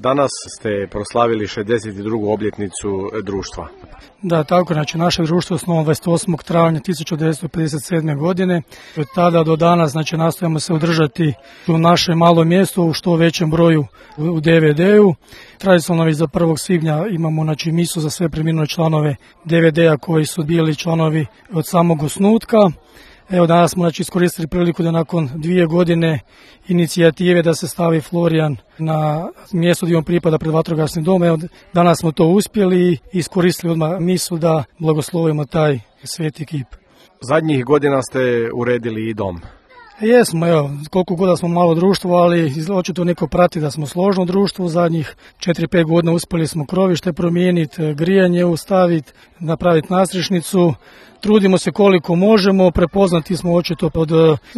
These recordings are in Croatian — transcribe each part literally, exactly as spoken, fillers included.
Danas ste proslavili šezdeset drugu obljetnicu društva. Da, tako, znači naše društvo je osnovano dvadeset osmog travnja tisuću devetsto pedeset sedme. godine. Od tada do danas znači nastojimo se održati u našem malom mjestu u što većem broju u D V D-u. Tradicionalno za prvog svibnja imamo znači misu za sve preminule članove D V D-a koji su bili članovi od samog osnutka. Evo danas smo znači iskoristili priliku da nakon dvije godine inicijative da se stavi Florijan na mjesto gdje on pripada pred vatrogasnim domom. Evo danas smo to uspjeli i iskoristili odmah misu da blagoslovimo taj sveti kip. Zadnjih godina ste uredili i dom. Jesmo, evo, koliko god smo malo društvo, ali očito neko prati da smo složno društvo. U zadnjih četiri pet godina uspjeli smo krovište promijeniti, grijanje ustaviti, napraviti nastrešnicu. Trudimo se koliko možemo, prepoznati smo očito od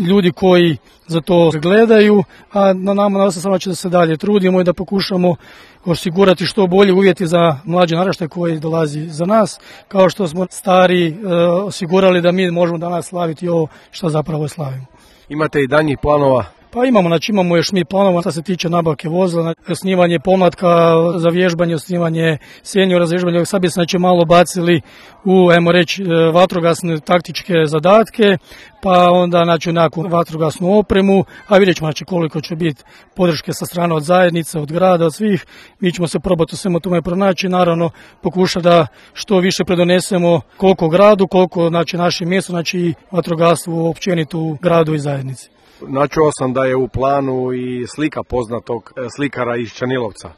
ljudi koji za to gledaju, a na nama nastaje samo da se dalje trudimo i da pokušamo osigurati što bolje uvjeti za mlađe naraštaje koji dolazi za nas, kao što smo stari e, osigurali da mi možemo danas slaviti ovo što zapravo slavimo. Imate i daljnjih planova? Pa imamo, znači imamo još mi planova što se tiče nabavke vozila, osnivanje pomlatka za vježbanje, osnivanje seniora za vježbanje. Sad bi se znači malo bacili u, ajmo reći, vatrogasne taktičke zadatke, pa onda znači nekakvu vatrogasnu opremu, a vidjet ćemo znači koliko će biti podrške sa strane od zajednice, od grada, od svih. Mi ćemo se probati u svemu tome pronaći, naravno pokušati da što više predonesemo koliko gradu, koliko znači našem mjestu, znači vatrogastvo općenito u gradu i zajednici. Načuo sam da je u planu i slika poznatog slikara iz Čanilovca.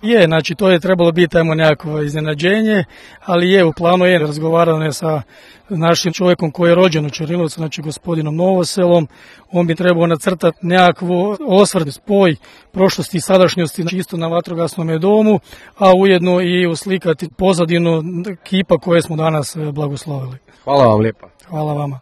Je, znači to je trebalo biti ajmo nekako iznenađenje, ali je u planu je razgovarano je sa našim čovjekom koji je rođen u Čanilovcu, znači gospodinom Novoselom. On bi trebao nacrtati nekakvu osvrt, spoj prošlosti i sadašnjosti čisto na vatrogasnom domu, a ujedno i uslikati pozadinu kipa koje smo danas blagoslovili. Hvala vam lijepa. Hvala vama.